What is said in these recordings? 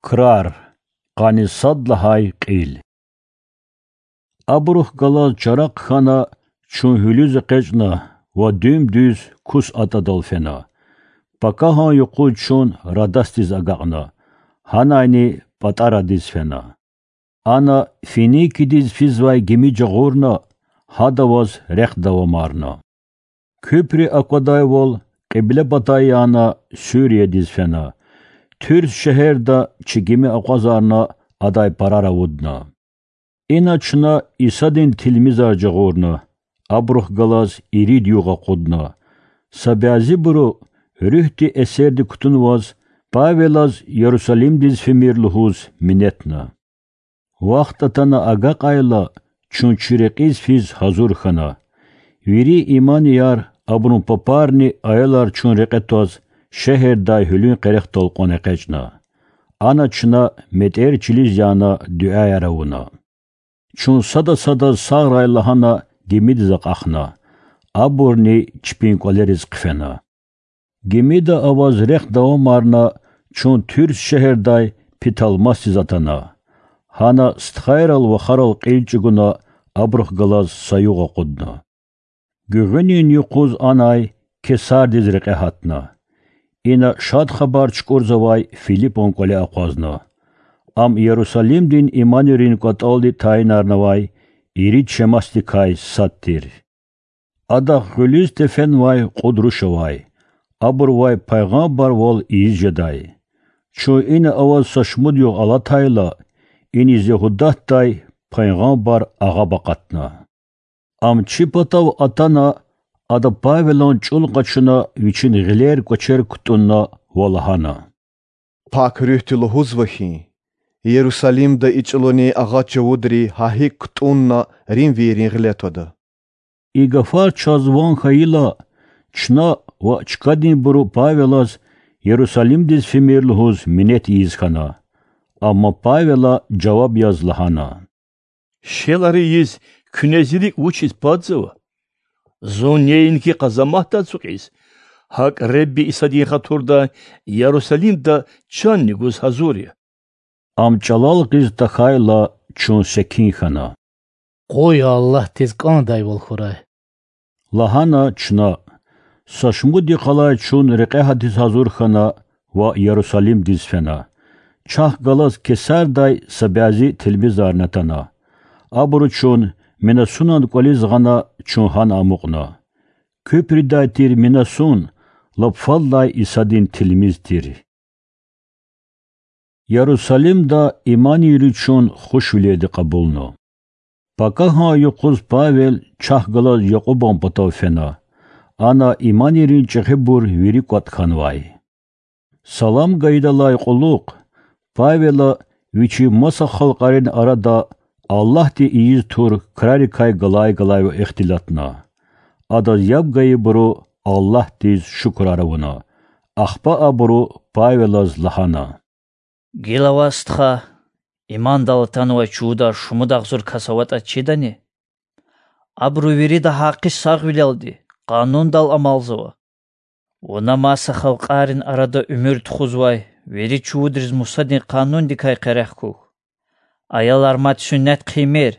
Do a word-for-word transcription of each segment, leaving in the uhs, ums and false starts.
Крар. Къанни сад лагьай кьил. Абурухъ галаз чара хъхьана, чун гьуьлуьз экъечӀна ва дуьм-дуьз кус атӀадал фена. Пакагьан юкъуз чун Радасдиз агакьна, гьанайни ПатӀарадиз фена. Ана Финикидиз физвай гими жагъурна, гьада аваз рехъ давамарна. Куьпри аквадайвал, кьибле патай яна, Суриядиз фена. Турс шегьерда чи гими акъвазарна, адай парар авудна. Ина чна Исадин тилмизар жагъурна, абурухъ галаз ирид югъ акъудна. Са бязибуру, руьгьди эсерди кутунваз, Павелаз Ярусалимдиз фимир лугьуз минетна. Вахт атана агакьайла, чун чи рекьиз физ гьазур хьана. Вири иманияр, абурун папарни аялар чун рекье тваз, шегьердай гьуьлуьн къерехдал кьван экъечӀна. Ана чна метӀер чилиз яна дуьаяр авуна. Чун сада-садаз сагърай лагьана гимидиз акьахна, абурни чпин кӀвалериз хъфена. Гимида аваз рехъ давамарна, чун Турс шегьердай Птолемайдиз атана. Гьана стхайрал вахарал кьил чӀугуна, абурухъ галаз са югъ акъудна. Гуьгъуьнин юкъуз анай Кесардиз рекье гьатна. Ина Шад Хабар чукӀурзавай Филипан кӀвале акъвазна. Ам Ярусалимдин иманийрин кӀватӀалди тайинарнавай ирид Шемасдикай сад тир. Адахъ гъуьлуьз тефенвай кьуд руш авай, абурувай пайгъамбарвал ийиз жедай. Чун ина аваз са шумуд югъ алатайла, иниз Ягьудатдай пайгъамбар агъаб акъатна. Ам чи патав атана, ада Павелан чӀул къачуна, вичин гъилер-кӀвачер кутӀунна ва лагьана: Пак Руьгьди лугьузва хьи, Ярусалимда и чӀулунин агъа чувудри гьа гьикӀ кутӀунна римвийрин гъиле твада. И гафар чаз ван хьайила, чна ва чкадинбуру Павелаз Ярусалимдиз фимир лугьуз минет ийиз хьана. Амма Павела жаваб яз лагьана: Шелари ийиз куьне зи рикӀ вучиз падзава? Зун неинки къазаматда ацукьиз, гьакӀ Худа Исадин хатурдай Ярусалимда чанни гуз гьазур я. Ам чӀалал гъиз тахьайла, чун секин хьана. Къуй Аллагьдиз кӀандайвал хьурай,– лагьана чна. Са шумуд йикъалай чун рекье гьатиз гьазур хьана ва Ярусалимдиз фена. Чахъ галаз Кесардай са бязи тилмизарни атана. Абуру чун Мнасунан кӀвализ гъана, чун гьана амукьна. Куьпридай тир Мнасун лап фадлай Исадин тилмиз тир. Ярусалимда иманийри чун хушвилелди кьабулна. Пакагьан юкъуз Павел чахъ галаз Якьубан патав фена. Ана иманийрин чӀехибур вири кӀватӀ хьанвай. Салам гайидалай кьулухъ Павела вичи маса халкьарин арада Аллагьди ийиз тур крарикай галай-галайвал ихтилатна. Адаз яб гайибуру Аллагьдиз шукурар авуна. Ахпа абуру Павелаз лагьана: Гила ваз, стха, имандал атанвай чувудар шумуд агъзур кас аватӀа чидани? Абуру вирида гьакъи сагъвилелди, къанундал амалзава. Вуна маса халкьарин арада уьмуьр тухузвай вири чувудриз Мусадин Къанундикай къерех хьухь. Аялар мад суннат хъийимир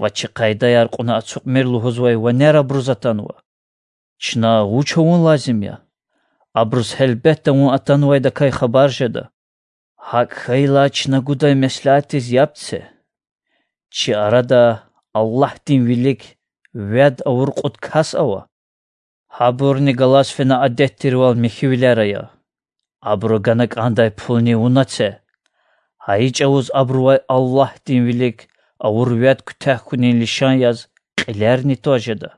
ва чи къайдаяр кьуна ацукьмир лугьузвай ванер абуруз атанва. Чна вуч авун лазим я? Абуруз гьелбетда вун атанвайдакай хабар жеда. ГьакӀ хьайила чна гудай меслятдиз яб це. Чи арада Аллагьдин вилик вяд авур кьуд кас ава. Гьабурни галаз фена адет тирвал михьивилер ая. Абуру гана кӀандай пулни вуна це. Гьа и чӀавуз абурувай Аллагьдин вилик авур вяд куьтягь хьунин лишан яз кьилерни тваз жеда.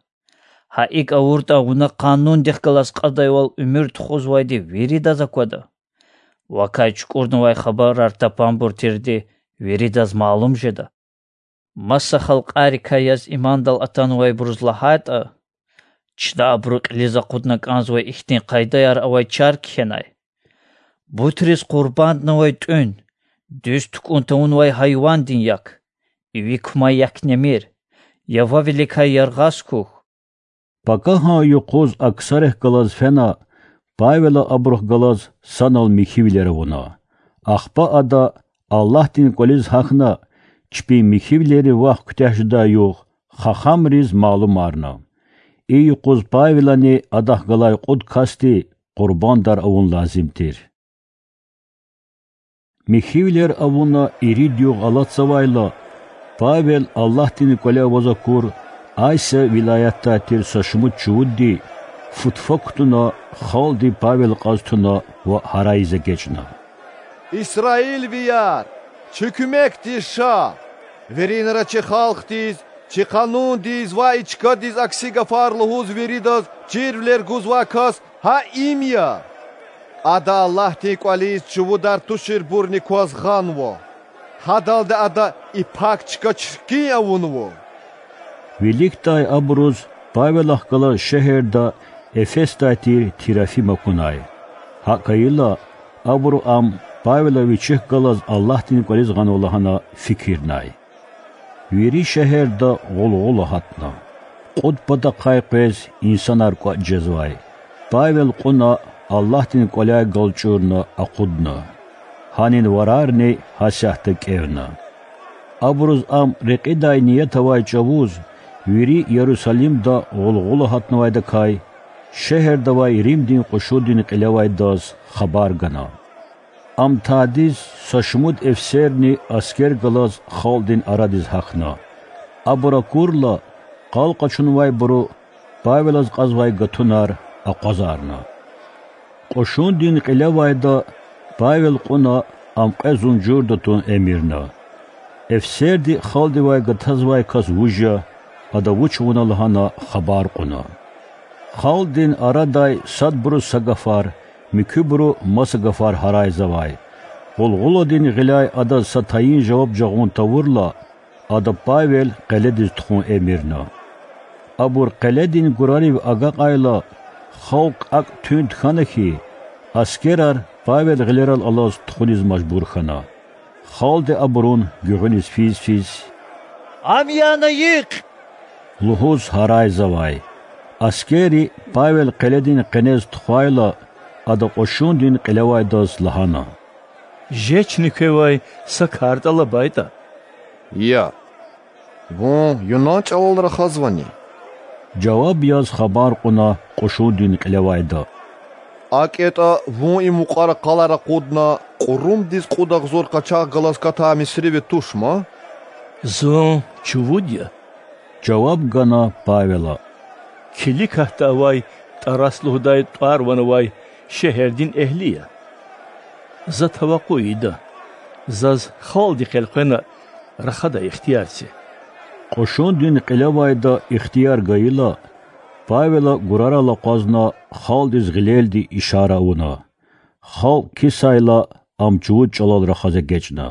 Гьа икӀ авуртӀа, вуна къанундихъ галаз кьадайвал уьмуьр тухузвайди виридаз аквада. Вакай чукӀурнавай хабарар тапанбур тирди виридаз малум жеда. Маса халкьарикай яз имандал атанвайбуруз лагьайтӀа, чна абуру кьилиз акъудна кӀанзавай ихьтин къайдаяр авай чар кхьенай: бутриз къурбанднавай тӀуьн, дуьз тукӀун тавунвай гьайвандин як, иви кумай як немир, явавиликай яргъаз хьухь. Пакагьан юкъуз Аксарихъ галаз фена, Павела абурухъ галаз санал михьивилер авуна. Ахпа ада Аллагьдин кӀвализ гьахьна, чпин михьивилерин вах куьтягь жедай югъ хахамриз малумарна. И юкъуз Павелани адахъ галай кьуд касди къурбандар авун лазим тир. Михьивилер авуна ирид югъ алатзавайла, Павел Аллагьдин кӀвале аваз акур Асия вилаятдай тир са шумуд чувудди футфа кутуна, халкьди Павел кьаз туна ва гьарайиз эгечӀна: Исраилвияр, чи куьмекдиз ша! Виринра чи халкьдиз, чи къанундиз ва и чкадиз акси гафар лугьуз виридаз чирвилер гузвай кас гьа им я. Ада Аллагьдин кӀвализ чувудар туширбурни кваз гъанва. Гьадалди ада и пак чка чиркин авунва. Виликдай абуруз Павелахъ галаз шегьерда Эфесдай тир Трофим акунай. ГьакӀ хьайила, абуру ам Павела вичихъ галаз Аллагьдин кӀвализ гъанва лагьана фикирнай. Вири шегьерда гъулгъула гьатна. Кьуд патахъай къвез инсанар кӀватӀ жезвай. Павел кьуна Аллагьдин кӀваляй галчӀурна акъудна. Гьанин варарни гьасятда кӀевна. Абуруз ам рекьидай ният авай чӀавуз вири Ярусалимда гъулгъула гьатнавайдакай шегьерда авай Римдин кьушундин кьилевайдаз хабар гана. Ам тадиз са шумуд эфсерни аскер галаз халкьдин арадиз гьахьна. Абур акурла, къал къачунвайбуру Павелаз кьазвай гатунар акъвазарна. Кьушундин кьилевайда Павел кьуна ам кьве зунжурда тун эмирна. Эфсерди халкьдивай гатазвай кас вуж я, ада вуч авуна лагьана хабар кьуна. Халкьдин арадай садбуру са гафар, муькуьбуру маса гафар гьарайзавай. Гъулгъуладин гъиляй адаз са тайин жаваб жагъун тавурла, ада Павел къеледиз тухун эмирна. Абур къеледин гурарив агакьайла, халкь акӀ туьнт хьана хьи, аскерар Павел гъилерал алаз тухуниз мажбур хьана. Халкьди абурун гуьгъуьниз физ-физ: Ам яна йикь! лугьуз гьарайзавай. Аскерри Павел къеледин къенез тухвайла, ада кьушундин кьилевайдаз лагьана: Жечни квевай са кар тӀалабайтӀа. Я, вун юнан чӀалал рахазвани? жаваб яз хабар кьуна кьушундин кьилевайда. АкӀ ятӀа, вун и мукьвара къалар акъудна, кьурумдиз кьуд агъзур къачагъ галаз катай мисривид туш ман? Зун чувуд я,— жаваб гана Павела,— киликатда авай ТӀарас лугьудай тӀвар-ван авай шегьердин эгьли я. За тавакъу ийида, заз халкьдихъ элкъвена рахадай ихтияр це. Кьушундин кьилевайда ихтияр гайила, Павела гурарал акъвазна халкьдиз гъилелди ишара авуна. Халкь кисайла, ам чувуд чӀалал рахаз эгечӀна.